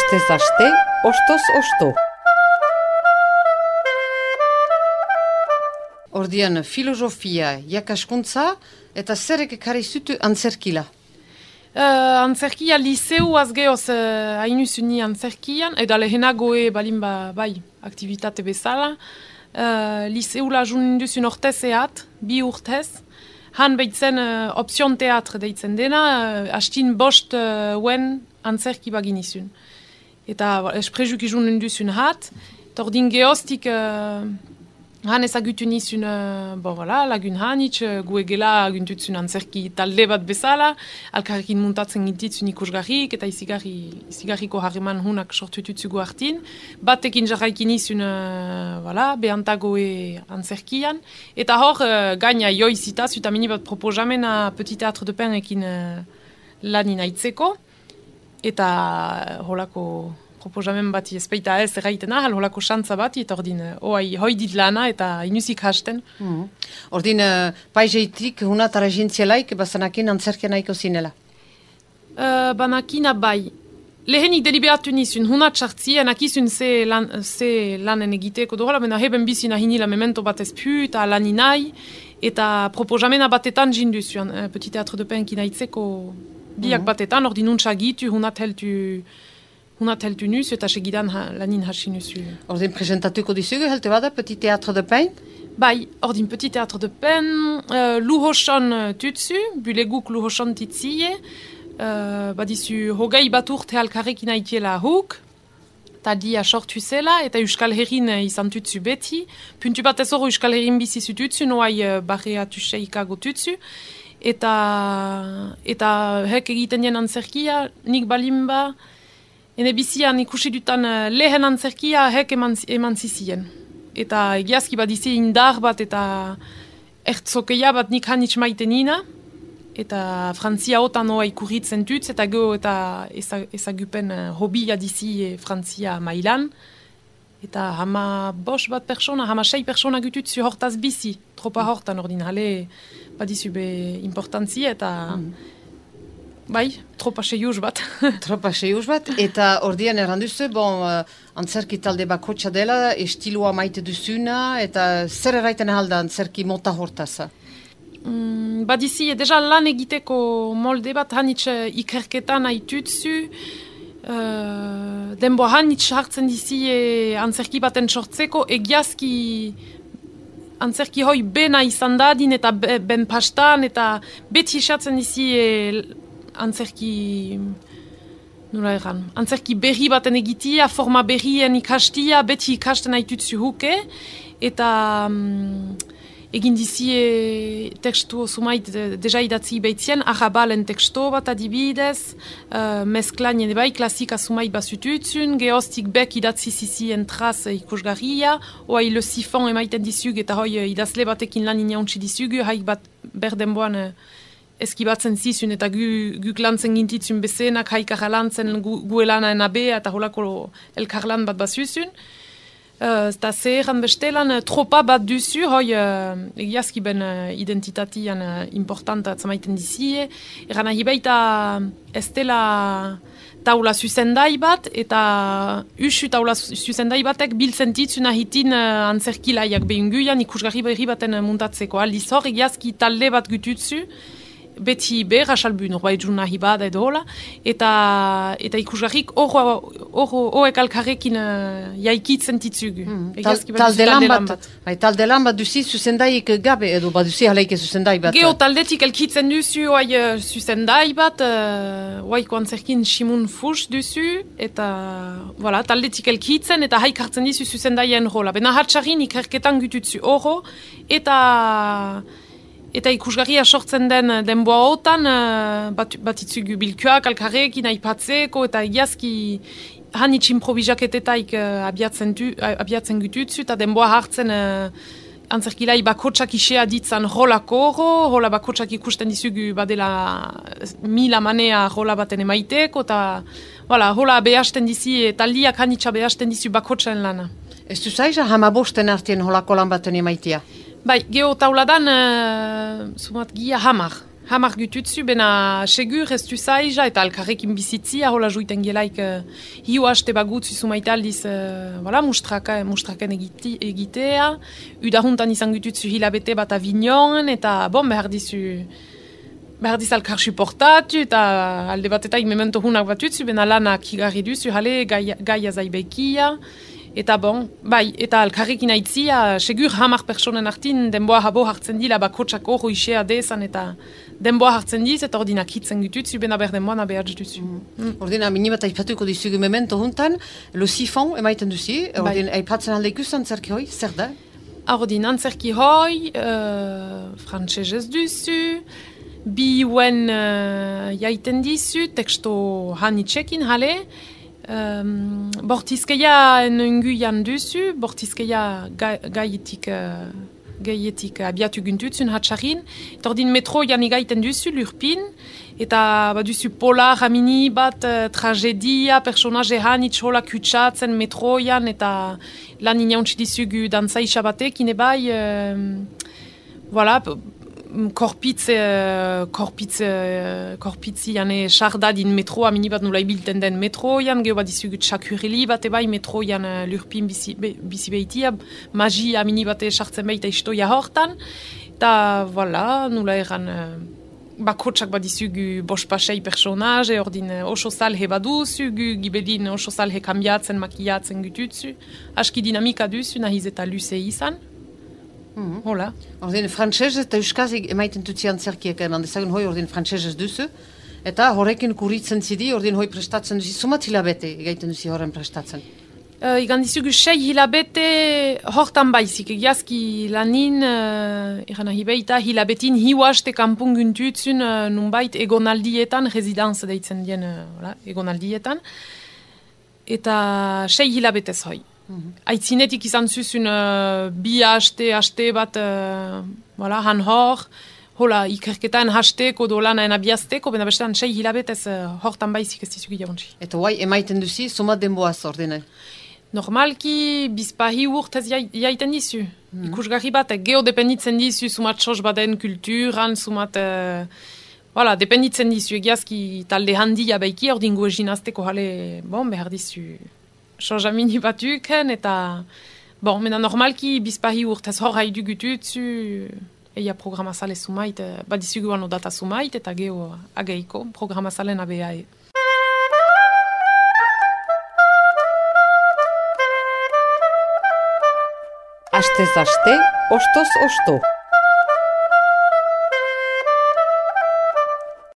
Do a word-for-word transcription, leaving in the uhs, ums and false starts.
Astez aste, ostoz osto. Ordian filosofia, jakaskuntza eta zerek ekarri zutu antzerkila? Uh, antzerkia liceu azgeoz uh, hainu zuni antzerkian, eta lehenagoe balin ba, bai, aktivitate bezala. Uh, liceu la jun induzun ortez eat, bi urtez. Han behitzen uh, option teatre deitzen dena, uh, hastin bost uh, wen antzerki bagin izun. Eta esprejuk izun induzun hat, tordin geostik uh, han ezagutu nizun, uh, bon, voilà, lagun hanitz, uh, gu egela aguntutzun antzerki talde bat bezala, alkarrekin muntatzen gintitzun ikusgarrik, eta izigarri, izigarriko harreman hunak sortututzugu hartin. Batekin jarraikin nizun, uh, voilà, behantagoe antzerkian. Eta hor, uh, gaina joizita, zuta mini bat propojamena Petit Théâtre de Pain ekin uh, lanin aitzeko. Eta uh, holako proposamen bati ezpeita ez erraitena, hal holako xantza bati, eta ordin, oai, hoi dit lana, eta inuzik hasten. Mm. Ordin, uh, paizeitik hunat aragintzielaik, bazanakin antzerkia nahiko zinela? Uh, banakina bai. Lehenik deliberatu nizun, hunat txartzien, akizun ze, lan, ze lanen egiteko dola, bena heben bizina hinila memento bat ezpu, eta laninai, eta proposamena batetan jinduzuan, uh, Petit Théâtre de Pain kinaitzeko biak mm. batetan, ordin nuntza gitu, hunat heltu... Hunat heltu nuz, eta segidan ha, lanin hasi nuzu. Ordin presentatuko dizugu, helte bada, Petit Théâtre de Pain? Bai, ordin Petit Théâtre de Pain, uh, luhosan tutsu, buleguk luhosan titzie, uh, badizu hogei bat urte alkarrekin aitiela huk, eta dia sortu zela, eta Euskal Herrin izan tutsu beti, puntu bat ez hori Euskal Herrin bizizu tutsu, noai uh, barreatu seikago tutsu, eta, eta hek egiten jen antzerkia, nik balimba, ene bizian ikusi dutan uh, lehen antzerkia hek eman, eman zizien. Eta egiazki badizi indar bat eta ertzokeia bat nik hanitz maite nina. Eta Frantzia otan hoa ikurritzen dutz, eta go eta ezagupen uh, hobia dizi e, Frantzia mailan. Eta hama bos bat persona, hama sei persona gututzu hortaz bizi. Tropa hortan ordin, hale badizu be importantzi eta... Mm. Bai, tropa seiuz bat. Tropa seiuz bat, eta ordian erranduzu, bon, uh, antzerki talde bakotxa dela, estiloa maite duzuna, eta zer erraiten ahalda antzerki mota hortaza? Mm, badizi, deja lan egiteko molde bat hanitz ikerketan haitutzu, uh, denbo hanitz hartzen dizi e, antzerki baten sortzeko, egiazki antzerki hoi bena izan dadin, eta be, ben pastan, eta beti esatzen dizi e, antzerki, nola erran, antzerki berri baten egitia, forma berrien ikastia, beti ikasten haitutzu huke, eta um, egin dizie tekstu sumait de, deja idatzi behitzien, arrabalen tekstu bat adibidez, uh, mezklanien bai, klasika sumait basututzun, geostik bek idatzi zizien traz ikusgarria, oai le sifon emaiten dizug, eta hoi idazle batekin lan inauntzi dizugu, haik bat berdenboan uh, eskibatzen zizun eta gu, guk lantzen gintitzun bezenak, haik arralantzen gu, gu elana enabea eta holako elkarlan bat bazuzun. Uh, eta zeheran bestelan uh, tropa bat duzu, hoi uh, egiazki ben uh, identitatian uh, importanta atzamaiten dizie. Eran ahi baita ez dela taula zuzendai bat, eta usu taula zuzendai batek biltzen ditzun ahitin uh, antzerkilaiak behunguian ikusgarri berri baten uh, muntatzeko. Aldiz hor egiazki talde bat gututzu, beti ber, asalbu norbait jun nahi bada edo hola, eta, eta ikusgarrik horrek alkarrekin uh, jaikitzen ditzugu. Mm, tal, talde lan bat, bat. Bai, talde lan bat duzi zuzendaik gabe edo bat duzi haleike zuzendai bat. Geo taldetik elkitzen duzu oai uh, zuzendai bat, uh, oaiko antzerkin Simun Fuchs duzu, eta voilà, taldetik elkitzen eta haik hartzen dizu zuzendaien rola. Bena hatxarin ikerketan gututzu horro, eta... Eta ikusgarria sortzen den denboa otan, uh, bat, batitzugu bilkuak, alkarrekin, aipatzeko, eta egiazki hanitz improvisaketetak uh, abiatzen, du, uh, abiatzen gututzu, eta denboa hartzen uh, antzerkilai bakotsak isea ditzan rolako horro, rola bakotsak ikusten dizugu badela mila manea rola baten emaiteko, eta voilà, rola behasten dizi, taldiak hanitza behasten dizu bakotsen lana. Ez du zaiza hamabosten artien rolako lan baten emaitea? Bai, geho tauladan, uh, sumat gia hamar. hamar gututzu, bena segur ez du zaiza, eta alkarrekin bizitzia, hola juiten gelaik uh, hiu haste bagutzu zumaite aldiz uh, voilà, mustraka, mustraken egiti, egitea, udahuntan izan gututzu hilabete bat avignon, eta bon, behar dizu, behar diz alkar suportatu, eta alde bat eta memento hunak batutzu, bena lanak higarri duzu, hale, gaia, gaia zaibekia, eta bon, bai, eta alkarrekin aitzia, segur hamar personen artin, denboa habo hartzen dila, bakotsak hor hoixea dezan, eta denboa hartzen diz, eta ordinak hitzen gututzu, bena ber denboa nabehatz duzu. Mm. Mm. Ordina, minibat aipatuko dizugu memento huntan, lo sifon emaiten duzi, ordin, bai. Aipatzen alde ikusten zerki hoi, zer da? Ordin, antzerki hoi, uh, frantsesez duzu, bi uen uh, jaiten dizu, teksto hanitxekin, hale, Um, bortizkeia nenguian duzu, bortizkeia ga, gaietik, uh, gaietik abiatu guntutzun hatxarin, eta ordin metroian igaiten duzu, lurpin, eta baduzu polar hamini bat uh, tragedia, personaje hanitz hola kutsatzen metroian, eta lan inauntzi dizugu dantza isabatek, inebai, uh, voilà, korpitz, uh, korpitz, uh, korpitzi jane sardadin metroa minibat nula ibilten den metroian, geho bat izugut txakureli bat ebai metroian uh, lurpin bizi, be, bizi behitia, magia minibate sartzen behita istoia hortan, eta voilà, nula eran uh, bakotsak bat izugu bospasei personaje, ordin uh, oso salhe baduzugu, gibelin oso salhe kambiatzen, makiatzen gututzu, aski dinamika duzu, nahiz eta luze izan. Mm-hmm. Hola. Ordin frantsesez eta euskazik emaiten dutzi antzerkiek handezagun hoi ordin frantsesez duzu. Eta horrekin kuritzen zidi, ordin hoi prestatzen duzi. Sumat hilabete egaiten duzi horren prestatzen? Uh, Igan dizugu sei hilabete hortan baizik. Egiazki lanin, uh, egan ahibeita, hilabetin hiuaste kanpun guntutzun uh, nunbait egonaldietan, rezidanz deitzen dien uh, voilà, egonaldietan. Eta sei hilabetez hoi. Mm-hmm. Aitzinetik izan zuzun uh, bi haste, haste bat uh, voilà, han hor, hola ikerketan hasteko do lanaen abiazteko, bena bestean sei hilabetez uh, hortan baizik ez dizugi jauntzi. Eta guai emaiten duzi, somat denboaz ordine? Normalki bizpahi urtez jaiten dizu. Mm-hmm. Ikusgarri bat, geho dependitzen dizu, sumat sos baden kulturan, sumat... Uh, voilà, dependitzen dizu, egiazki talde handia baiki, ordin goezin azteko jale, bon, behar dizu... Soja mini batuken, eta bon, mena normalki bizpahi urtez hor haidu gututzu, eia programazale sumait, badizugu ano data sumait, eta geho ageiko programazalen abeae. Astez aste, ostoz osto.